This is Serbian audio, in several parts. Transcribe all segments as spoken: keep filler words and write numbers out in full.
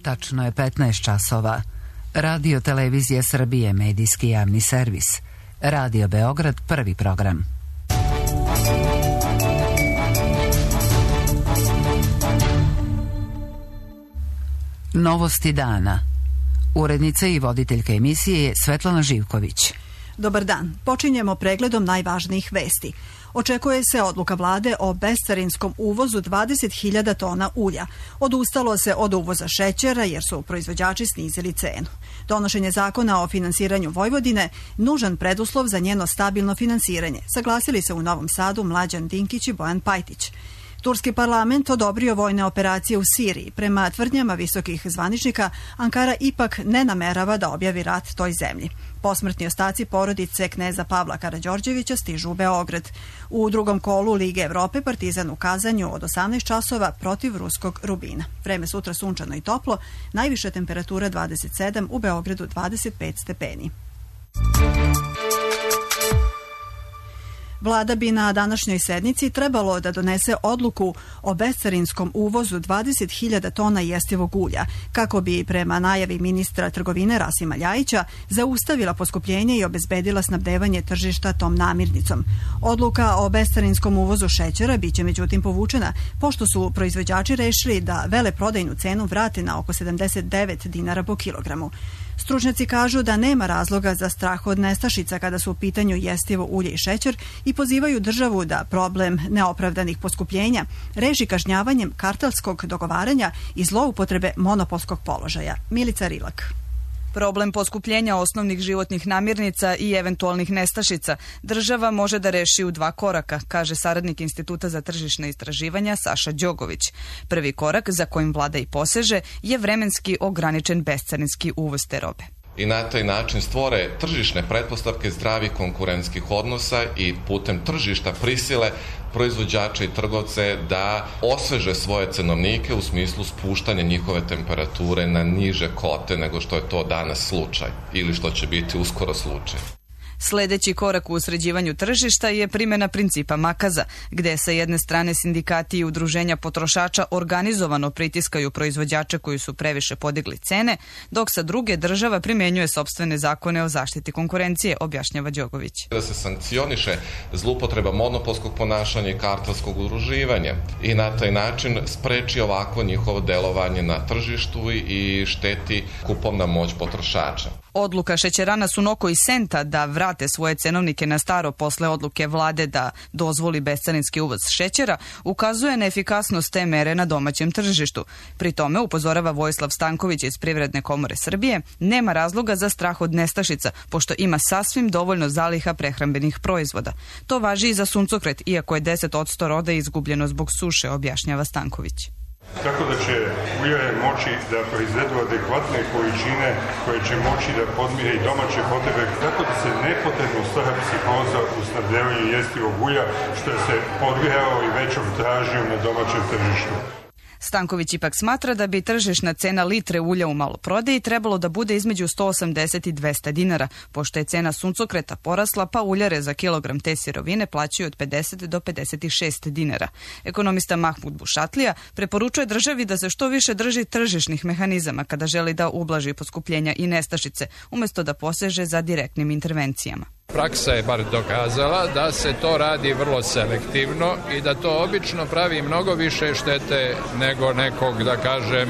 Tačno je petnaest časova. Radio Televizija Srbije, medijski javni servis. Radio Beograd, prvi program. Novosti dana. Urednica i voditeljka emisije je Svetlana Živković. Dobar dan. Počinjemo pregledom najvažnijih vesti. Očekuje se odluka vlade o bescarinskom uvozu dvadeset hiljada tona ulja. Odustalo se od uvoza šećera jer su proizvođači snizili cenu. Donošenje zakona o finansiranju Vojvodine nužan preduslov za njeno stabilno finansiranje, saglasili se u Novom Sadu Mlađan Dinkić i Bojan Pajtić. Turski parlament odobrio vojne operacije u Siriji. Prema tvrdnjama visokih zvaničnika, Ankara ipak ne namerava da objavi rat toj zemlji. Posmrtni ostaci porodice kneza Pavla Karađorđevića stižu u Beograd. U drugom kolu Lige Evrope Partizan u Kazanju od osamnaest časova protiv ruskog Rubina. Vreme sutra sunčano i toplo, najviša temperatura dvadeset sedam, u Beogradu dvadeset pet stepeni. Vlada bi na današnjoj sednici trebalo da donese odluku o bescarinskom uvozu dvadeset hiljada tona jestivog ulja, kako bi prema najavi ministra trgovine Rasima Ljajića zaustavila poskupljenje i obezbedila snabdevanje tržišta tom namirnicom. Odluka o bescarinskom uvozu šećera biće međutim povučena, pošto su proizvođači rešili da veleprodajnu cenu vrate na oko sedamdeset devet dinara po kilogramu. Stručnjaci kažu da nema razloga za strah od nestašica kada su u pitanju jestivo ulje i šećer i pozivaju državu da problem neopravdanih poskupljenja reši kažnjavanjem kartelskog dogovaranja i zloupotrebe monopolskog položaja. Milica Rilak. Problem poskupljenja osnovnih životnih namirnica i eventualnih nestašica država može da reši u dva koraka, kaže saradnik Instituta za tržišne istraživanja Saša Đogović. Prvi korak, za kojim vlada i poseže, je vremenski ograničen bescarinski uvoz te robe. I na taj način stvore tržišne pretpostavke zdravih konkurentskih odnosa i putem tržišta prisile proizvođače i trgovce da osveže svoje cenovnike u smislu spuštanja njihove temperature na niže kote nego što je to danas slučaj ili što će biti uskoro slučaj. Sledeći korak u usređivanju tržišta je primjena principa makaza, gde sa jedne strane sindikati i udruženja potrošača organizovano pritiskaju proizvođače koji su previše podigli cene, dok sa druge država primjenjuje sopstvene zakone o zaštiti konkurencije, objašnjava Đogović. Da se sankcioniše zloupotreba monopolskog ponašanja i kartelskog udruživanja i na taj način spreči ovako njihovo delovanje na tržištu i šteti kupovna moć potrošača. Odluka šećerana Sunoko i Senta da vrate svoje cenovnike na staro posle odluke vlade da dozvoli bescarinski uvoz šećera ukazuje na efikasnost te mere na domaćem tržištu. Pri tome, upozorava Vojislav Stanković iz Privredne komore Srbije, nema razloga za strah od nestašica, pošto ima sasvim dovoljno zaliha prehrambenih proizvoda. To važi i za suncokret, iako je deset posto roda izgubljeno zbog suše, objašnjava Stanković. Tako da će uljare moći da proizvedu adekvatne količine koje će moći da podmire i domaće potrebe, tako da se nepotrebno stvara psihoza u snabdevanju jestivog ulja, što je se podgrejao i većom tražnjom na domaćem tržištu. Stanković ipak smatra da bi tržišna cena litre ulja u maloprodaji trebalo da bude između sto osamdeset i dvesta dinara, pošto je cena suncokreta porasla, pa uljare za kilogram te sirovine plaćaju od pedeset do pedeset šest dinara. Ekonomista Mahmud Bušatlija preporučuje državi da se što više drži tržišnih mehanizama kada želi da ublaži poskupljenja i nestašice, umesto da poseže za direktnim intervencijama. Praksa je bar dokazala da se to radi vrlo selektivno i da to obično pravi mnogo više štete nego nekog, da kažem,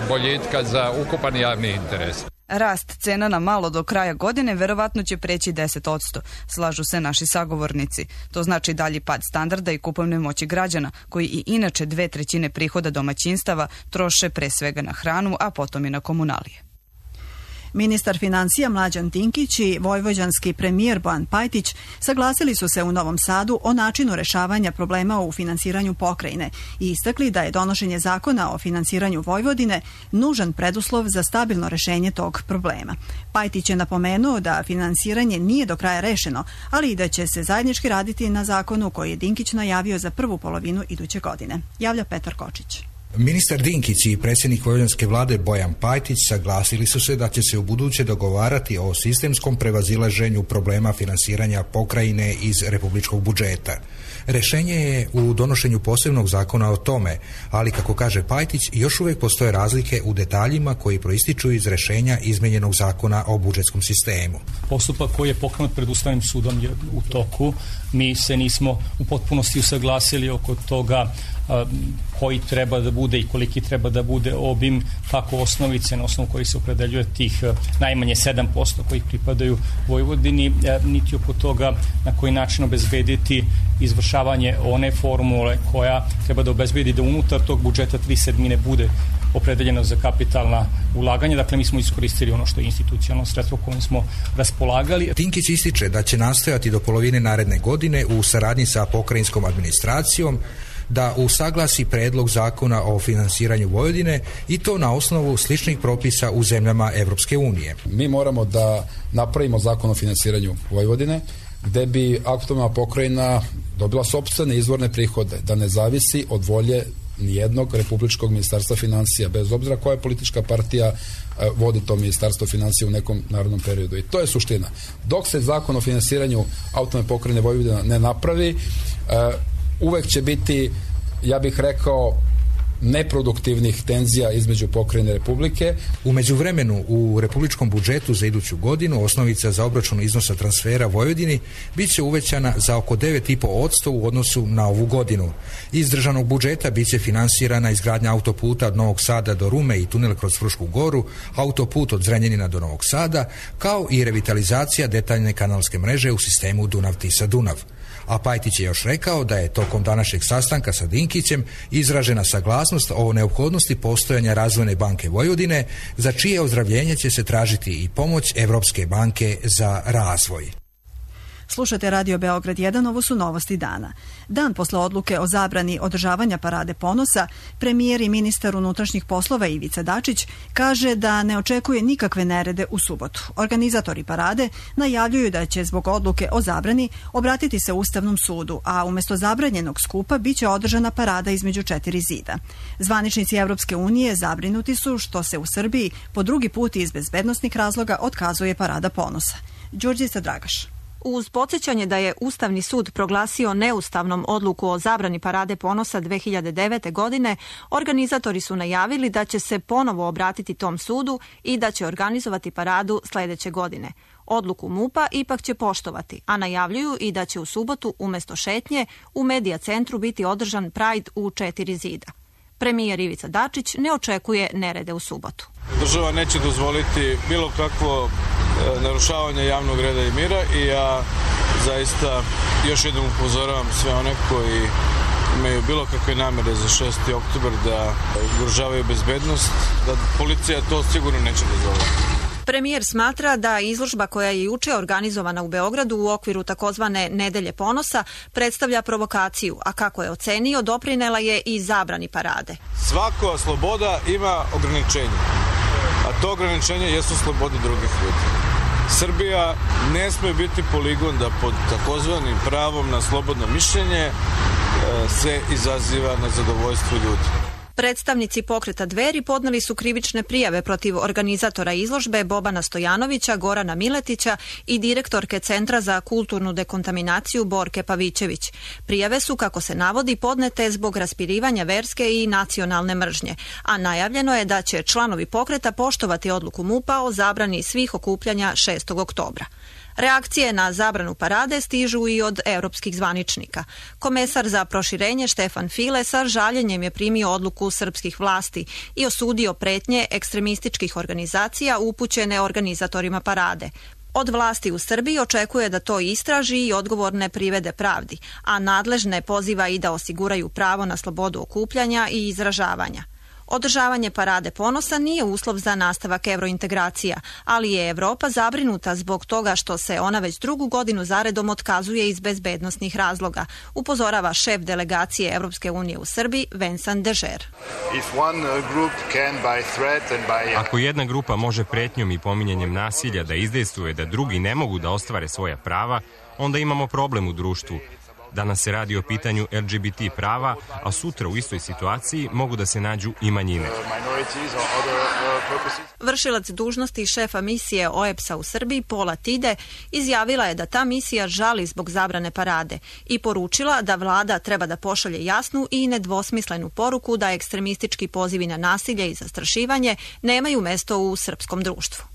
boljitka za ukupan javni interes. Rast cena na malo do kraja godine verovatno će preći deset posto, slažu se naši sagovornici. To znači dalji pad standarda i kupovne moći građana, koji i inače dve trećine prihoda domaćinstava troše pre svega na hranu, a potom i na komunalije. Ministar financija Mlađan Dinkić i vojvođanski premijer Bojan Pajtić saglasili su se u Novom Sadu o načinu rešavanja problema u finansiranju pokrajine i istakli da je donošenje zakona o finansiranju Vojvodine nužan preduslov za stabilno rešenje tog problema. Pajtić je napomenuo da finansiranje nije do kraja rešeno, ali i da će se zajednički raditi na zakonu koji je Dinkić najavio za prvu polovinu iduće godine. Javlja Petar Kočić. Ministar Dinkić i predsjednik vojvođanske vlade Bojan Pajtić saglasili su se da će se u buduće dogovarati o sistemskom prevazilaženju problema finansiranja pokrajine iz republičkog budžeta. Rešenje je u donošenju posebnog zakona o tome, ali kako kaže Pajtić, još uvijek postoje razlike u detaljima koji proističu iz rešenja izmenjenog zakona o budžetskom sistemu. Postupak koji je pokrenut pred Ustavnim sudom je u toku. Mi se nismo u potpunosti usaglasili oko toga koji treba da bude i koliki treba da bude obim kako osnovice na osnovu koji se opredeljuje tih najmanje sedam posto koji pripadaju Vojvodini, niti oko toga na koji način obezbediti izvršavanje one formule koja treba da obezbedi da unutar tog budžeta tri sedmine bude opredeljeno za kapitalna ulaganja. Dakle, mi smo iskoristili ono što je institucionalno sredstvo kojim smo raspolagali. Dinkić ističe da će nastojati do polovine naredne godine u saradnji sa pokrajinskom administracijom da usaglasi predlog zakona o finansiranju Vojvodine i to na osnovu sličnih propisa u zemljama Evropske unije. Mi moramo da napravimo zakon o finansiranju Vojvodine gde bi aktualna pokrajina dobila sopstvene izvorne prihode, da ne zavisi od volje nijednog republičkog ministarstva financija, bez obzira koja politička partija vodi to ministarstvo financija u nekom narodnom periodu. I to je suština. Dok se zakon o finansiranju autonomne pokrajine Vojvodina ne napravi, uvek će biti, ja bih rekao, neproduktivnih tenzija između pokrajine Republike. U međuvremenu u republičkom budžetu za iduću godinu osnovica za obračun iznosa transfera Vojvodini bit će uvećana za oko devet i po posto u odnosu na ovu godinu. Iz državnog budžeta bit će finansirana izgradnja autoputa od Novog Sada do Rume i tunel kroz Frušku goru, autoput od Zrenjanina do Novog Sada, kao i revitalizacija detaljne kanalske mreže u sistemu Dunav-Tisa-Dunav. A Pajtić je još rekao da je tokom današnjeg sastanka sa Dinkićem izražena saglasnost o neophodnosti postojanja Razvojne banke Vojvodine, za čije ozdravljenje će se tražiti i pomoć Evropske banke za razvoj. Slušate Radio Beograd jedan, ovo su novosti dana. Dan posle odluke o zabrani održavanja Parade ponosa, premijer i ministar unutrašnjih poslova Ivica Dačić kaže da ne očekuje nikakve nerede u subotu. Organizatori parade najavljuju da će zbog odluke o zabrani obratiti se Ustavnom sudu, a umjesto zabranjenog skupa biće održana parada između četiri zida. Zvaničnici Evropske unije zabrinuti su što se u Srbiji po drugi put iz bezbednosnih razloga otkazuje Parada ponosa. Đurđica Dragaš. Uz podsjećanje da je Ustavni sud proglasio neustavnom odluku o zabrani Parade ponosa dve hiljade devete. godine, organizatori su najavili da će se ponovo obratiti tom sudu i da će organizovati paradu sledeće godine. Odluku MUP-a ipak će poštovati, a najavljuju i da će u subotu umjesto šetnje u Medija centru biti održan Pride u četiri zida. Premijer Ivica Dačić ne očekuje nerede u subotu. Država neće dozvoliti bilo kakvo e, narušavanje javnog reda i mira i ja zaista još jednom upozoravam sve one koji imaju bilo kakve namere za šesti oktobar da ugrožavaju bezbednost, da policija to sigurno neće dozvoliti. Premijer smatra da izložba koja je juče organizovana u Beogradu u okviru takozvane Nedelje ponosa predstavlja provokaciju, a kako je ocenio, doprinela je i zabrani parade. Svaka sloboda ima ograničenje, a to ograničenje jesu slobode drugih ljudi. Srbija ne sme biti poligon da pod takozvanim pravom na slobodno mišljenje se izaziva na zadovoljstvo ljudi. Predstavnici pokreta Dveri podneli su krivične prijave protiv organizatora izložbe Bobana Stojanovića, Gorana Miletića i direktorke Centra za kulturnu dekontaminaciju Borke Pavićević. Prijave su, kako se navodi, podnete zbog raspirivanja verske i nacionalne mržnje, a najavljeno je da će članovi pokreta poštovati odluku MUP-a o zabrani svih okupljanja šestog oktobra. Reakcije na zabranu parade stižu i od europskih zvaničnika. Komesar za proširenje Štefan File sa žaljenjem je primio odluku srpskih vlasti i osudio pretnje ekstremističkih organizacija upućene organizatorima parade. Od vlasti u Srbiji očekuje da to istraži i odgovorne privede pravdi, a nadležne poziva i da osiguraju pravo na slobodu okupljanja i izražavanja. Održavanje Parade ponosa nije uslov za nastavak evrointegracija, ali je Evropa zabrinuta zbog toga što se ona već drugu godinu zaredom otkazuje iz bezbednosnih razloga, upozorava šef delegacije Evropske unije u Srbiji Vincent Dežer. Ako jedna grupa može pretnjom i pominjanjem nasilja da izdejstvuje da drugi ne mogu da ostvare svoja prava, onda imamo problem u društvu. Danas se radi o pitanju L G B T prava, a sutra u istoj situaciji mogu da se nađu i manjine. Vršilac dužnosti šefa misije O E B S-a u Srbiji, Pola Tide, izjavila je da ta misija žali zbog zabrane parade i poručila da vlada treba da pošalje jasnu i nedvosmislenu poruku da ekstremistički pozivi na nasilje i zastrašivanje nemaju mesto u srpskom društvu.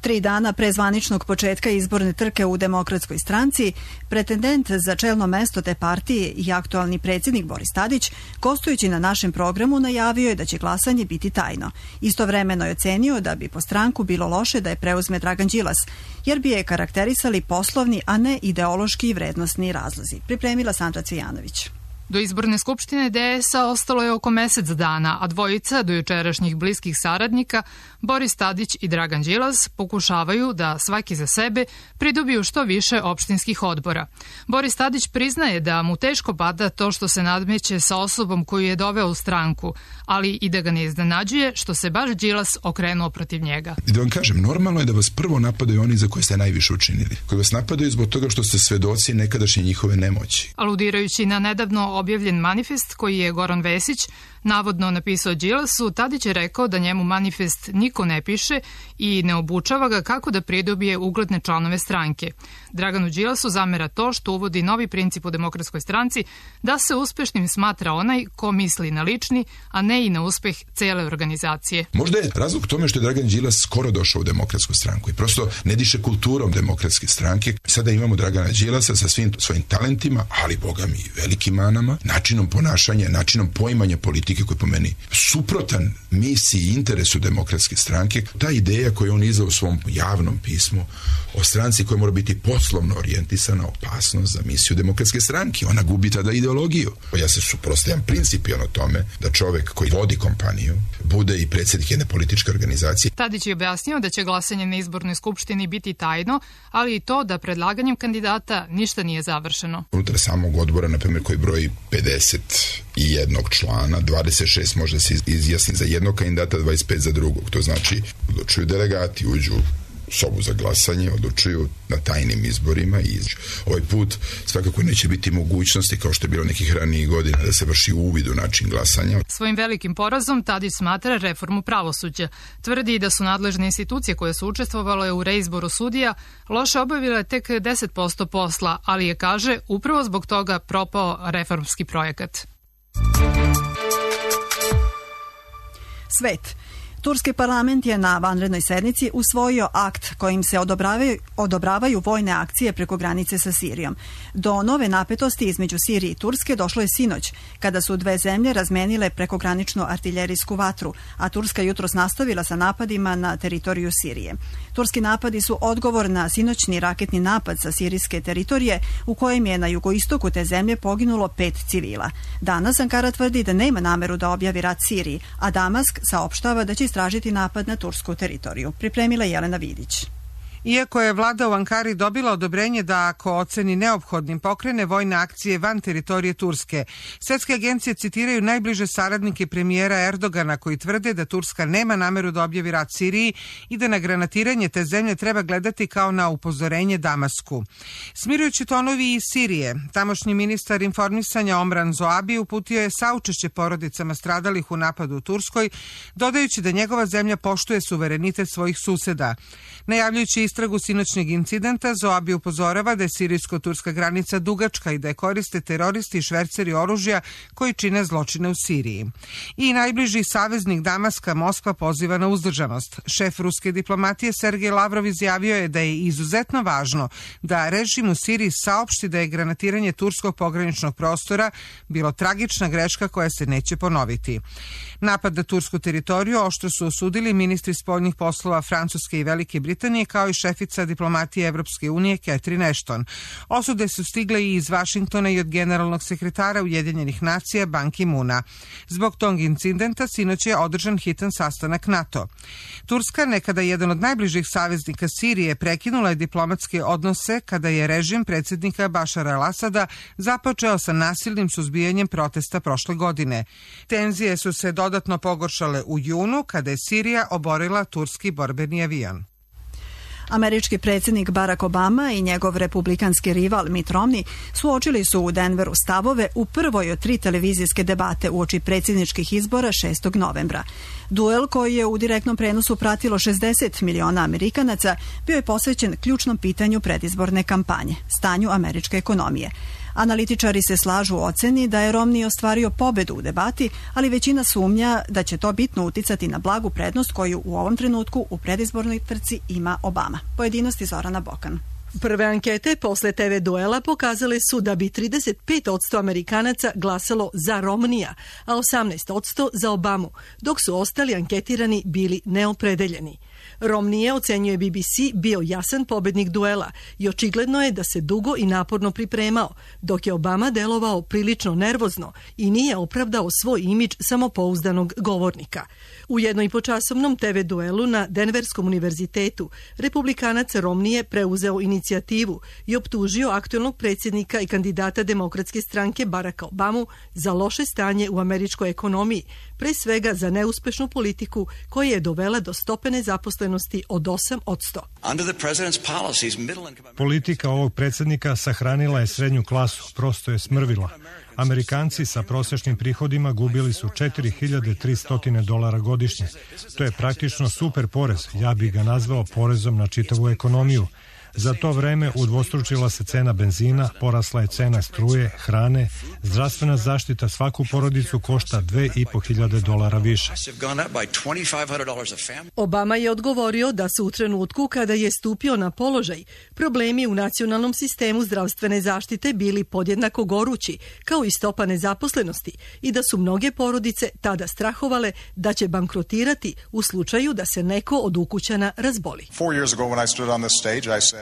Tri dana pre zvaničnog početka izborne trke u Demokratskoj stranci, pretendent za čelno mesto te partije i aktualni predsjednik Boris Tadić, gostujući na našem programu, najavio je da će glasanje biti tajno. Istovremeno je ocenio da bi po stranku bilo loše da je preuzme Dragan Đilas, jer bi je karakterisali poslovni, a ne ideološki i vrednosni razlozi. Pripremila Sandra Cvijanović. Do izborne skupštine D S A ostalo je oko mesec dana, a dvojica do jučerašnjih bliskih saradnika, Boris Tadić i Dragan Đilas, pokušavaju da svaki za sebe pridobiju što više opštinskih odbora. Boris Tadić priznaje da mu teško pada to što se nadmeće sa osobom koju je doveo u stranku, ali i da ga ne iznenađuje što se baš Đilas okrenuo protiv njega. I da vam kažem, normalno je da vas prvo napadaju oni za koje ste najviše učinili, koji vas napadaju zbog toga što ste svedoci nekadašnje njihove nemoći. Aludirajući na nedavno objavljen manifest koji je Goran Vesić navodno napisao Đilasu, Tadić je rekao da njemu manifest niko ne piše i ne obučava ga kako da pridobije ugledne članove stranke. Draganu Đilasu zamera to što uvodi novi princip u Demokratskoj stranci da se uspešnim smatra onaj ko misli na lični, a ne i na uspeh cele organizacije. Možda je razlog tome što je Dragan Đilas skoro došao u Demokratsku stranku i prosto ne diše kulturom Demokratske stranke. Sada imamo Dragana Đilasa sa svim svojim talentima, ali boga mi velikim manama, načinom ponašanja, načinom poimanja politike koji je po meni suprotan misiji i interesu Demokratske stranke. Ta ideja koju on izdao u svom javnom pismu o stranci koja mora biti poslovno orijentisana, opasnost za misiju Demokratske stranke. Ona gubi tada ideologiju. Ja se suprotstavljam principijelno tome da čovek koji vodi kompaniju bude i predsjednik jedne političke organizacije. Tadić je objasnio da će glasanje na izbornoj skupštini biti tajno, ali i to da predlaganjem kandidata ništa nije završeno. Unutar samog odbora, na primjer, koji broji pedeset jednog člana, dvadeset šest može se izjasni za jednog kandidata, dvadeset pet za drugog. To znači, odlučuju delegati, uđu u sobu za glasanje, odlučuju na tajnim izborima i ovaj put svakako neće biti mogućnosti, kao što je bilo nekih ranijih godina, da se vrši uvid u način glasanja. Svojim velikim porazom Tadić smatra reformu pravosuđa. Tvrdi da su nadležne institucije koje su učestvovale u reizboru sudija loše obavile tek deset posto posla, ali je, kaže, upravo zbog toga propao reformski projekat. Svet. Turski parlament je na vanrednoj sednici usvojio akt kojim se odobravaju, odobravaju vojne akcije preko granice sa Sirijom. Do nove napetosti između Sirije i Turske došlo je sinoć, kada su dve zemlje razmenile prekograničnu artiljerijsku vatru, a Turska jutros nastavila sa napadima na teritoriju Sirije. Turski napadi su odgovor na sinoćni raketni napad sa sirijske teritorije, u kojem je na jugoistoku te zemlje poginulo pet civila. Danas Ankara tvrdi da nema nameru da objavi rat Siriji, a Damask saopštava da će istražiti napad na tursku teritoriju. Pripremila Jelena Vidić. Iako je vlada u Ankari dobila odobrenje da ako oceni neophodnim pokrene vojne akcije van teritorije Turske, svetske agencije citiraju najbliže saradnike premijera Erdogana koji tvrde da Turska nema nameru da objavi rat Siriji i da na granatiranje te zemlje treba gledati kao na upozorenje Damasku. Smirujući tonovi iz Sirije, tamošnji ministar informisanja Omran Zoabi uputio je saučešće porodicama stradalih u napadu u Turskoj, dodajući da njegova zemlja poštuje suverenitet svojih suseda. Najavljujući istragu sinoćnjeg incidenta, Zoabi upozorava da je sirijsko-turska granica dugačka i da je koriste teroristi i šverceri oružja koji čine zločine u Siriji. I najbliži saveznik Damaska, Moskva, poziva na uzdržanost. Šef ruske diplomatije Sergej Lavrov izjavio je da je izuzetno važno da režim u Siriji saopšti da je granatiranje turskog pograničnog prostora bilo tragična greška koja se neće ponoviti. Napad na tursku teritoriju oštro su osudili ministri spoljnih poslova Francuske i Velike Britanije, kao i šefica diplomatije Evropske unije Catherine Ashton. Osude su stigle i iz Vašingtona i od generalnog sekretara Ujedinjenih nacija Ban Ki-moona. Zbog tog incidenta sinoć je održan hitan sastanak NATO. Turska, nekada jedan od najbližih saveznika Sirije, prekinula je diplomatske odnose kada je režim predsjednika Bašara al-Asada započeo sa nasilnim suzbijanjem protesta prošle godine. Tenzije su se dodatno pogoršale u junu kada je Sirija oborila turski borbeni avion. Američki predsjednik Barack Obama i njegov republikanski rival Mitt Romney suočili su u Denveru stavove u prvoj od tri televizijske debate uoči predsjedničkih izbora šestog novembra. Duel koji je u direktnom prenosu pratilo šezdeset miliona Amerikanaca bio je posvećen ključnom pitanju predizborne kampanje, stanju američke ekonomije. Analitičari se slažu u oceni da je Romney ostvario pobedu u debati, ali većina sumnja da će to bitno uticati na blagu prednost koju u ovom trenutku u predizbornoj trci ima Obama. Pojedinosti Zorana Bokan. Prve ankete posle te ve duela pokazale su da bi trideset pet posto Amerikanaca glasalo za Romneya, a osamnaest posto za Obamu, dok su ostali anketirani bili neopredeljeni. Romney je, ocenjuje B B C, bio jasan pobednik duela i očigledno je da se dugo i naporno pripremao, dok je Obama delovao prilično nervozno i nije opravdao svoj imidž samopouzdanog govornika. U jednoipočasovnom te ve duelu na Denverskom univerzitetu republikanac Romney je preuzeo inicijativu i optužio aktuelnog predsjednika i kandidata demokratske stranke Baracka Obamu za loše stanje u američkoj ekonomiji, pre svega za neuspešnu politiku koja je dovela do stope nezaposlenosti od osam posto. Politika ovog predsjednika sahranila je srednju klasu, prosto je smrvila. Amerikanci sa prosječnim prihodima gubili su četiri hiljade tristo dolara godišnje. To je praktično super porez, ja bih ga nazvao porezom na čitavu ekonomiju. Za to vreme udvostručila se cena benzina, porasla je cena struje, hrane, zdravstvena zaštita svaku porodicu košta dve i po hiljade dolara više. Obama je odgovorio da su u trenutku kada je stupio na položaj problemi u nacionalnom sistemu zdravstvene zaštite bili podjednako gorući, kao i stopa nezaposlenosti, i da su mnoge porodice tada strahovale da će bankrotirati u slučaju da se neko od ukućana razboli.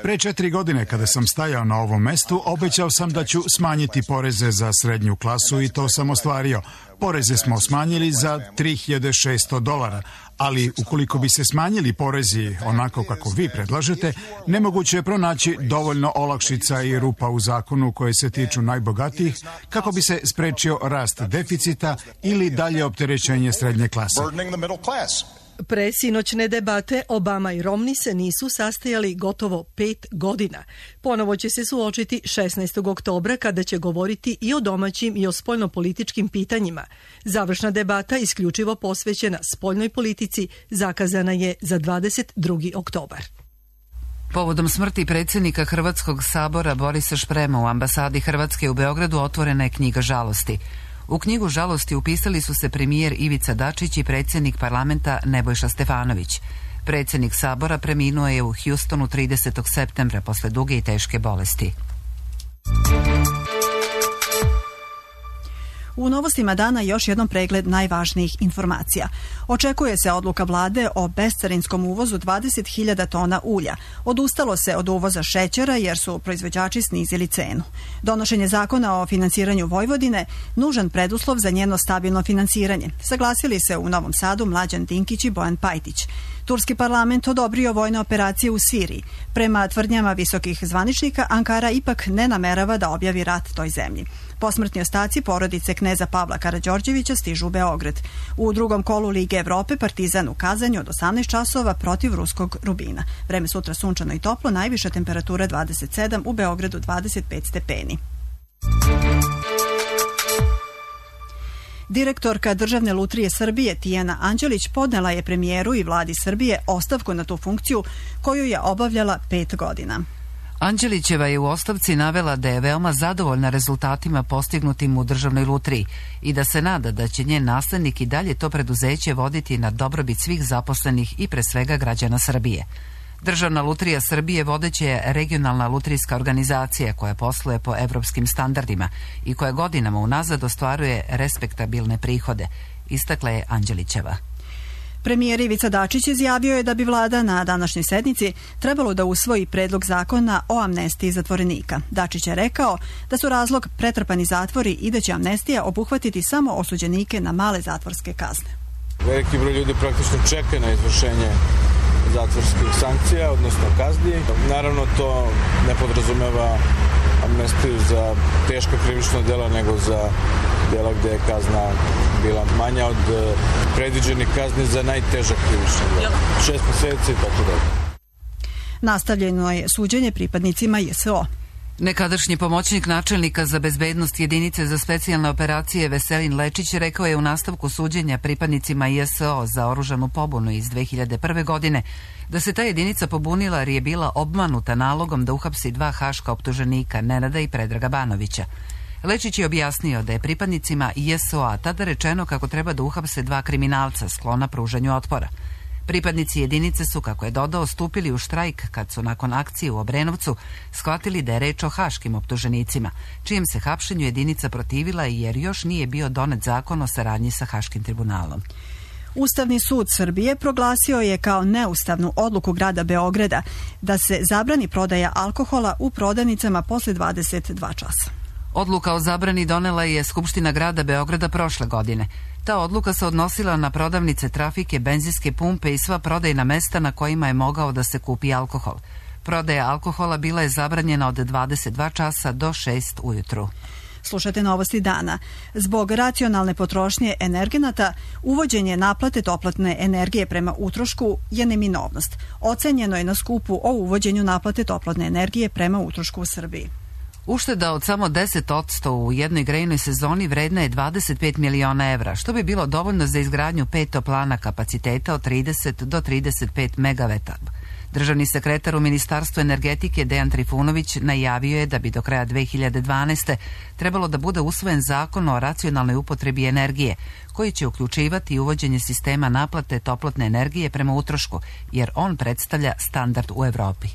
Pre četiri godine kada sam stajao na ovom mestu, obećao sam da ću smanjiti poreze za srednju klasu i to sam ostvario. Poreze smo smanjili za tri hiljade šesto dolara, ali ukoliko bi se smanjili porezi onako kako vi predlažete, nemoguće je pronaći dovoljno olakšica i rupa u zakonu koje se tiču najbogatijih kako bi se sprečio rast deficita ili dalje opterećenje srednje klase. Pre sinoćne debate Obama i Romney se nisu sastajali gotovo pet godina. Ponovo će se suočiti šesnaestog oktobra kada će govoriti i o domaćim i o spoljnopolitičkim pitanjima. Završna debata, isključivo posvećena spoljnoj politici, zakazana je za dvadeset drugi oktobar. Povodom smrti predsjednika Hrvatskog sabora Borisa Šprema u ambasadi Hrvatske u Beogradu otvorena je knjiga žalosti. U knjigu žalosti upisali su se premijer Ivica Dačić i predsjednik parlamenta Nebojša Stefanović. Predsjednik sabora preminuo je u Houstonu tridesetog septembra posle duge i teške bolesti. U novostima dana još jednom pregled najvažnijih informacija. Očekuje se odluka vlade o bescarinskom uvozu dvadeset hiljada tona ulja. Odustalo se od uvoza šećera jer su proizvođači snizili cenu. Donošenje zakona o finansiranju Vojvodine nužan preduslov za njeno stabilno finansiranje. Saglasili se u Novom Sadu Mlađan Dinkić i Bojan Pajtić. Turski parlament odobrio vojne operacije u Siriji. Prema tvrdnjama visokih zvaničnika, Ankara ipak ne namerava da objavi rat toj zemlji. Posmrtni ostaci porodice kneza Pavla Karađorđevića stižu u Beograd. U drugom kolu Lige Evrope Partizan u Kazanju od osamnaest časova protiv ruskog Rubina. Vreme sutra sunčano i toplo, najviša temperatura dvadeset sedam, u Beogradu dvadeset pet stepeni. Direktorka Državne lutrije Srbije Tijana Anđelić podnela je premijeru i vladi Srbije ostavku na tu funkciju koju je obavljala pet godina. Anđelićeva je u ostavci navela da je veoma zadovoljna rezultatima postignutim u Državnoj lutriji i da se nada da će njen naslednik i dalje to preduzeće voditi na dobrobit svih zaposlenih i pre svega građana Srbije. Državna lutrija Srbije vodeća je regionalna lutrijska organizacija koja posluje po evropskim standardima i koja godinama unazad ostvaruje respektabilne prihode, istakla je Anđelićeva. Premijer Ivica Dačić izjavio je da bi vlada na današnjoj sednici trebalo da usvoji predlog zakona o amnestiji zatvorenika. Dačić je rekao da su razlog pretrpani zatvori i da će amnestija obuhvatiti samo osuđenike na male zatvorske kazne. Veliki broj ljudi praktično čeka na izvršenje zatvorskih sankcija, odnosno kazni. Naravno, to ne podrazumeva amnestiju za teška krivična dela, nego za dela gde je kazna bila manja od predviđenih kazni za najteža krivična dela. Šest meseci i tako dalje. Nastavljeno je suđenje pripadnicima J S O. Nekadašnji pomoćnik načelnika za bezbednost jedinice za specijalne operacije Veselin Lečić rekao je u nastavku suđenja pripadnicima J S O za oružanu pobunu iz dve hiljade prve. godine da se ta jedinica pobunila jer je bila obmanuta nalogom da uhapsi dva haška optuženika, Nenada i Predraga Banovića. Lečić je objasnio da je pripadnicima J S O-a tada rečeno kako treba da uhapse dva kriminalca sklona pružanju otpora. Pripadnici jedinice su, kako je dodao, stupili u štrajk kad su nakon akcije u Obrenovcu shvatili da je reč o haškim optuženicima, čijem se hapšenju jedinica protivila jer još nije bio donet zakon o saradnji sa Haškim tribunalom. Ustavni sud Srbije proglasio je kao neustavnu odluku grada Beograda da se zabrani prodaja alkohola u prodavnicama posle dvadeset dva časa. Odluka o zabrani donela je Skupština grada Beograda prošle godine. Ta odluka se odnosila na prodavnice, trafike, benzinske pumpe i sva prodajna mesta na kojima je mogao da se kupi alkohol. Prodaja alkohola bila je zabranjena od dvadeset dva časa do šest ujutru. Slušate novosti dana. Zbog racionalne potrošnje energenata, uvođenje naplate toplotne energije prema utrošku je neminovnost. Ocenjeno je na skupu o uvođenju naplate toplotne energije prema utrošku u Srbiji. Ušteda od samo deset posto u jednoj grejnoj sezoni vredna je dvadeset pet miliona evra, što bi bilo dovoljno za izgradnju pet toplana kapaciteta od trideset do trideset pet megavata. Državni sekretar u Ministarstvu energetike Dejan Trifunović najavio je da bi do kraja dve hiljade dvanaeste. trebalo da bude usvojen zakon o racionalnoj upotrebi energije, koji će uključivati uvođenje sistema naplate toplotne energije prema utrošku, jer on predstavlja standard u Evropi.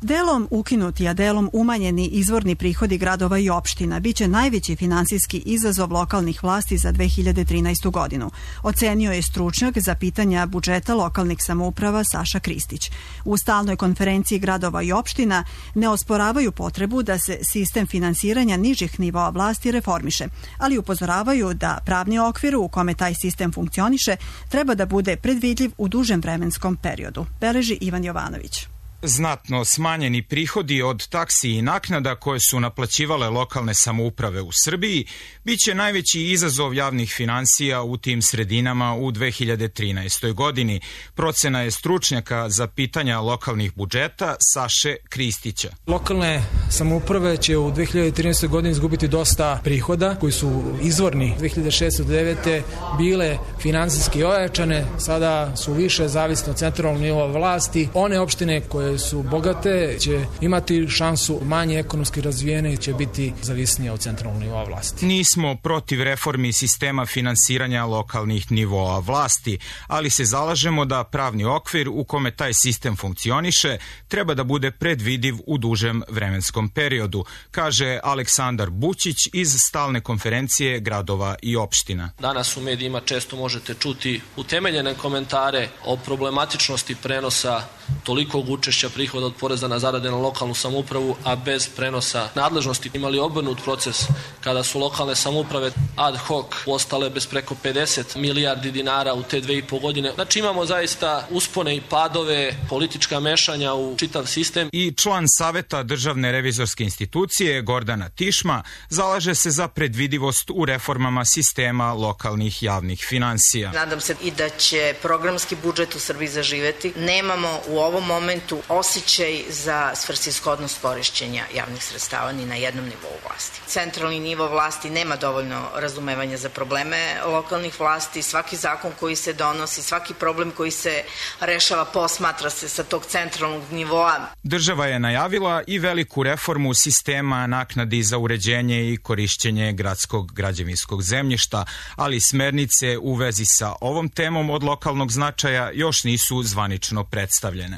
Delom ukinuti, a delom umanjeni izvorni prihodi gradova i opština biće najveći finansijski izazov lokalnih vlasti za dve hiljade trinaestu. godinu, ocenio je stručnjak za pitanja budžeta lokalnih samouprava Saša Kristić. U stalnoj konferenciji gradova i opština ne osporavaju potrebu da se sistem finansiranja nižih nivoa vlasti reformiše, ali upozoravaju da pravni okvir u kome taj sistem funkcioniše treba da bude predvidljiv u dužem vremenskom periodu, beleži Ivan Jovanović. Znatno smanjeni prihodi od taksi i naknada koje su naplaćivale lokalne samouprave u Srbiji biće najveći izazov javnih finansija u tim sredinama u dve hiljade trinaestoj. godini. Procena je stručnjaka za pitanja lokalnih budžeta Saše Kristića. Lokalne samouprave će u dve hiljade trinaestoj. godini izgubiti dosta prihoda koji su izvorni dve hiljade šeste do devete. bile finansijski ojačane, sada su više zavisne od centralnog nivoa vlasti. One opštine koje su bogate će imati šansu, manje ekonomski razvijene će biti zavisnije od centralnog nivoa vlasti. Nismo protiv reformi sistema finansiranja lokalnih nivoa vlasti, ali se zalažemo da pravni okvir u kome taj sistem funkcioniše treba da bude predvidiv u dužem vremenskom periodu, kaže Aleksandar Bućić iz stalne konferencije gradova i opština. Danas u medijima često možete čuti utemeljene komentare o problematičnosti prenosa tolikog učešća prihoda od poreza na zarade na lokalnu samoupravu, a bez prenosa nadležnosti. Imali obrnut proces kada su lokalne samouprave ad hoc ostale bez preko pedeset milijardi dinara u te dve i po godine. Znači imamo zaista uspone i padove, politička mešanja u čitav sistem. I član Saveta Državne revizorske institucije Gordana Tišma zalaže se za predvidivost u reformama sistema lokalnih javnih finansija. Nadam se i da će programski budžet u Srbiji zaživeti. Nemamo u ovom momentu osjećaj za svrsishodnost korišćenja javnih sredstava ni na jednom nivou vlasti. Centralni nivo vlasti nema dovoljno razumevanja za probleme lokalnih vlasti. Svaki zakon koji se donosi, svaki problem koji se rešava posmatra se sa tog centralnog nivoa. Država je najavila i veliku reformu sistema naknadi za uređenje i korišćenje gradskog građevinskog zemljišta, ali smernice u vezi sa ovom temom od lokalnog značaja još nisu zvanično predstavljene.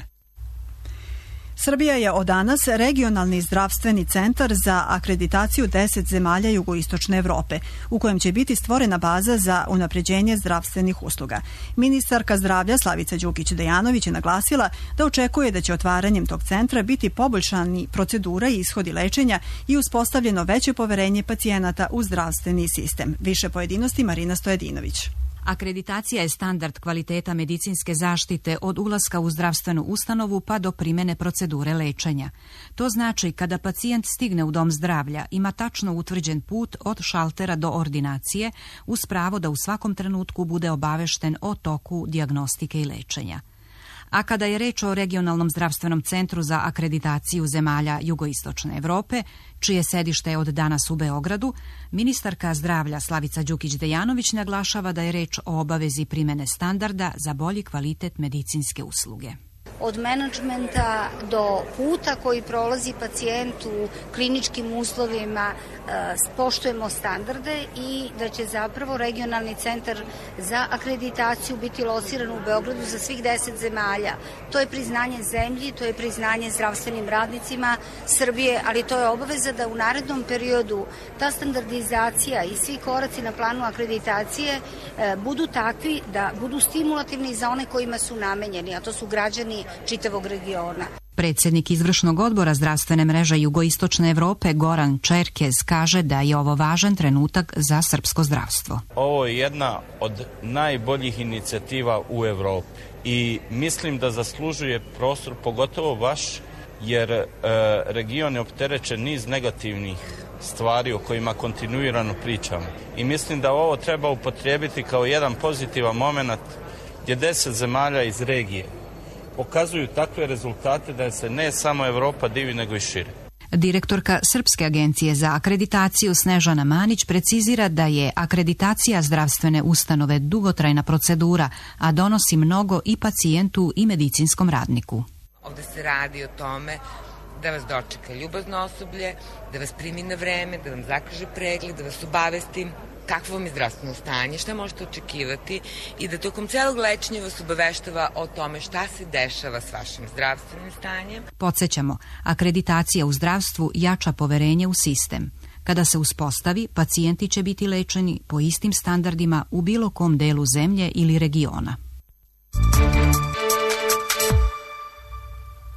Srbija je od danas regionalni zdravstveni centar za akreditaciju deset zemalja jugoistočne Evrope, u kojem će biti stvorena baza za unapređenje zdravstvenih usluga. Ministarka zdravlja Slavica Đukić-Dejanović je naglasila da očekuje da će otvaranjem tog centra biti poboljšani procedura i ishodi lečenja i uspostavljeno veće poverenje pacijenata u zdravstveni sistem. Više pojedinosti Marina Stojadinović. Akreditacija je standard kvaliteta medicinske zaštite od ulaska u zdravstvenu ustanovu pa do primene procedure lečenja. To znači kada pacijent stigne u dom zdravlja, ima tačno utvrđen put od šaltera do ordinacije uz pravo da u svakom trenutku bude obavešten o toku dijagnostike i lečenja. A kada je reč o regionalnom zdravstvenom centru za akreditaciju zemalja jugoistočne Evrope, čije sedište je od danas u Beogradu, ministarka zdravlja Slavica Đukić-Dejanović naglašava da je reč o obavezi primene standarda za bolji kvalitet medicinske usluge. Od menadžmenta do puta koji prolazi pacijent u kliničkim uslovima poštujemo standarde i da će zapravo regionalni centar za akreditaciju biti lociran u Beogradu za svih deset zemalja. To je priznanje zemlji, to je priznanje zdravstvenim radnicima Srbije, ali to je obaveza da u narednom periodu ta standardizacija i svi koraci na planu akreditacije budu takvi da budu stimulativni za one kojima su namenjeni, a to su građani čitavog regiona. Predsjednik izvršnog odbora zdravstvene mreže jugoistočne Evrope Goran Čerkez kaže da je ovo važan trenutak za srpsko zdravstvo. Ovo je jedna od najboljih inicijativa u Evropi i mislim da zaslužuje prostor, pogotovo vaš, jer e, region je opterećen niz negativnih stvari o kojima kontinuirano pričamo. I mislim da ovo treba upotrijebiti kao jedan pozitivan moment gdje deset zemalja iz regije pokazuju takve rezultate da se ne samo Evropa divi, nego i šire. Direktorka Srpske agencije za akreditaciju Snežana Manić precizira da je akreditacija zdravstvene ustanove dugotrajna procedura, a donosi mnogo i pacijentu i medicinskom radniku. Ovde se radi o tome da vas dočeka ljubazno osoblje, da vas primi na vreme, da vam zakaže pregled, da vas obavesti kakvo vam je zdravstveno stanje, šta možete očekivati i da tokom celog lečenja vas obaveštava o tome šta se dešava s vašim zdravstvenim stanjem. Podsjećamo, akreditacija u zdravstvu jača poverenje u sistem. Kada se uspostavi, pacijenti će biti lečeni po istim standardima u bilo kom delu zemlje ili regiona.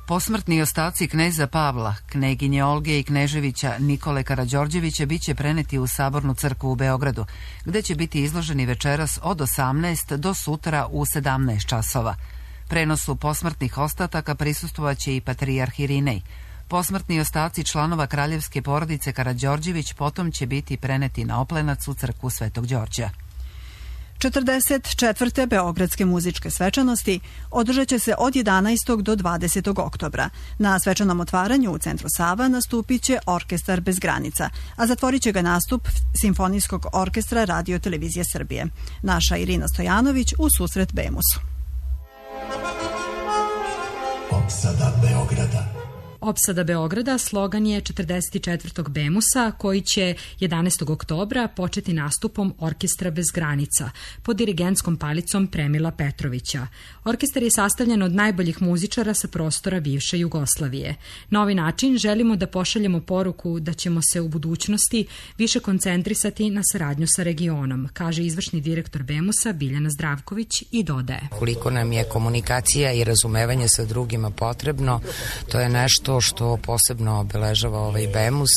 Posmrtni ostaci kneza Pavla, kneginje Olge i kneževića Nikole Karađorđevića biće preneti u Sabornu crkvu u Beogradu, gde će biti izloženi večeras od osamnaest do sutra u sedamnaest časova. Prenosu posmrtnih ostataka prisustvovaće i patrijarh Irinej. Posmrtni ostaci članova kraljevske porodice Karađorđević potom će biti preneti na Oplenac u crkvu Svetog Đorđa. četrdeset četvrte Beogradske muzičke svečanosti održat će se od jedanaestog do dvadesetog oktobra. Na svečanom otvaranju u centru Sava nastupit će Orkestar bez granica, a zatvorit će ga nastup Simfonijskog orkestra Radio Televizije Srbije. Naša Irina Stojanović u susret Bemusu. Opsada Beograda. Opsada Beograda slogan je četrdeset četvrtog Bemusa koji će jedanaestog oktobra početi nastupom Orkestra bez granica pod dirigentskom palicom Premila Petrovića. Orkestar je sastavljen od najboljih muzičara sa prostora bivše Jugoslavije. Na ovaj način želimo da pošaljemo poruku da ćemo se u budućnosti više koncentrisati na saradnju sa regionom, kaže izvršni direktor Bemusa Biljana Zdravković i dodaje. Koliko nam je komunikacija i razumevanje sa drugima potrebno, to je nešto što posebno obeležava ovaj Bemus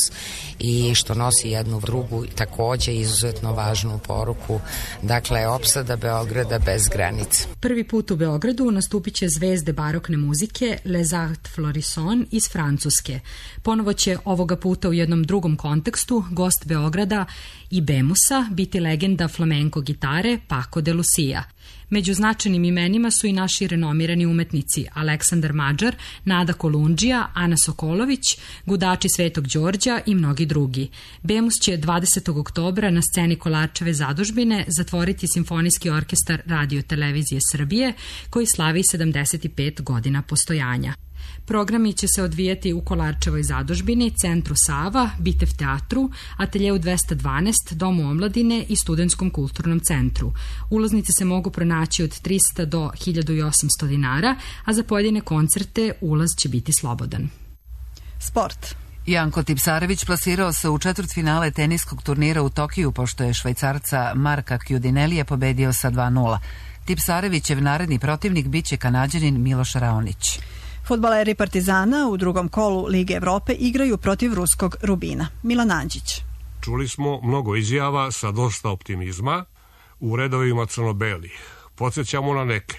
i što nosi jednu drugu takođe izuzetno važnu poruku. Dakle, opsada Beograda bez granica. Prvi put u Beogradu nastupit će zvezde barokne muzike Les Arts Florissants iz Francuske. Ponovo će ovoga puta u jednom drugom kontekstu gost Beograda i Bemusa biti legenda flamenko gitare Paco de Lucia. Među značajnim imenima su i naši renomirani umetnici Aleksandar Mađar, Nada Kolundžija, Ana Sokolović, gudači Svetog Đorđa i mnogi drugi. Bemus će dvadesetog oktobra na sceni Kolarčeve zadužbine zatvoriti Simfonijski orkestar Radio Televizije Srbije koji slavi sedamdeset pet godina postojanja. Programi će se odvijati u Kolarčevoj zadužbini, Centru Sava, Bitev teatru, Ateljeu dvesta dvanaest, Domu omladine i Studentskom kulturnom centru. Ulaznice se mogu pronaći od trista do hiljadu osamsto dinara, a za pojedine koncerte ulaz će biti slobodan. Sport. Janko Tipsarević plasirao se u četvrtfinale teniskog turnira u Tokiju, pošto je Švajcarca Marka Kjudinelija pobedio sa dva nula. Tipsarevićev naredni protivnik biće Kanađanin Miloš Raonić. Fudbaleri Partizana u drugom kolu Lige Evrope igraju protiv ruskog Rubina. Milan Anđić. Čuli smo mnogo izjava sa dosta optimizma u redovima crno-belih. Podsjećamo na neke.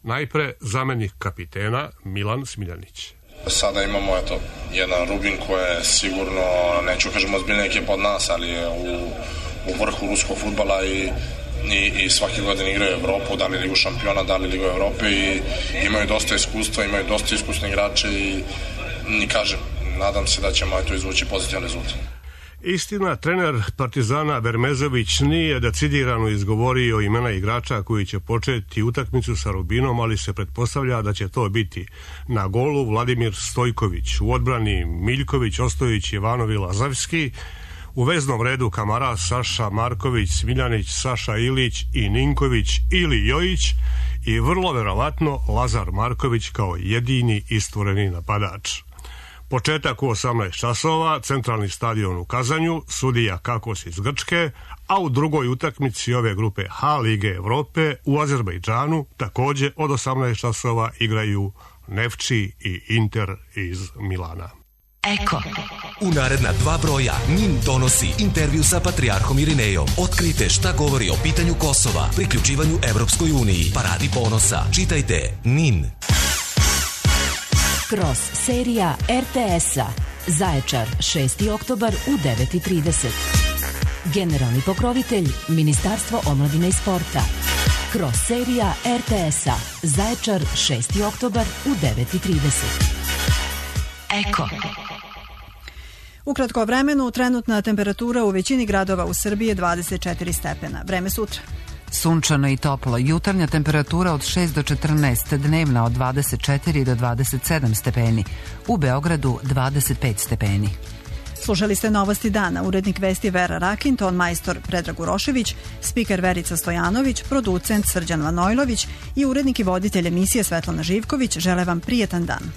Najpre zamenik kapitena Milan Smiljanić. Sada imamo eto, jedan Rubin koji je sigurno, neću kažemo ozbiljna ekipa od nas, ali je u, u vrhu ruskog fudbala i i, i svake godine igraju Evropu, da li Ligu šampiona, da li Ligu Evrope i imaju dosta iskustva, imaju dosta iskusne igrače i, i kažem, nadam se da ćemo to izvući pozitivan rezultat. Istina, trener Partizana Vermezović nije decidirano izgovorio imena igrača koji će početi utakmicu sa Rubinom, ali se pretpostavlja da će to biti na golu Vladimir Stojković, u odbrani Miljković, Ostojić, Jovanov i Lazavski, u veznom redu Kamara, Saša Marković, Smiljanić, Saša Ilić i Ninković ili Jojić i vrlo verovatno Lazar Marković kao jedini istvoreni napadač. Početak u osamnaest časova, centralni stadion u Kazanju, sudija Kakos iz Grčke, a u drugoj utakmici ove grupe H Lige Evrope u Azerbejdžanu takođe od osamnaest časova igraju Nefči i Inter iz Milana. Eko. U naredna dva broja NIN donosi intervju sa patrijarhom Irinejom. Otkrite šta govori o pitanju Kosova, priključivanju Evropskoj uniji, paradi ponosa. Čitajte NIN. Kroz serija er te es-a. Zaječar, šesti oktobar u devet i trideset. Generalni pokrovitelj Ministarstvo omladine i sporta. Kroz serija er te es-a. Zaječar, šesti oktobar u devet i trideset. Eko. U kratko vremenu trenutna temperatura u većini gradova u Srbiji je dvadeset četiri stepena. Vreme sutra. Sunčano i toplo. Jutarnja temperatura od šest do četrnaest, dnevna od dvadeset četiri do dvadeset sedam stepeni. U Beogradu dvadeset pet stepeni. Slušali ste Novosti dana. Urednik vesti Vera Rakin, ton majstor Predrag Urošević, spiker Verica Stojanović, producent Srđan Vanojlović i urednik i voditelj emisije Svetlana Živković žele vam prijetan dan.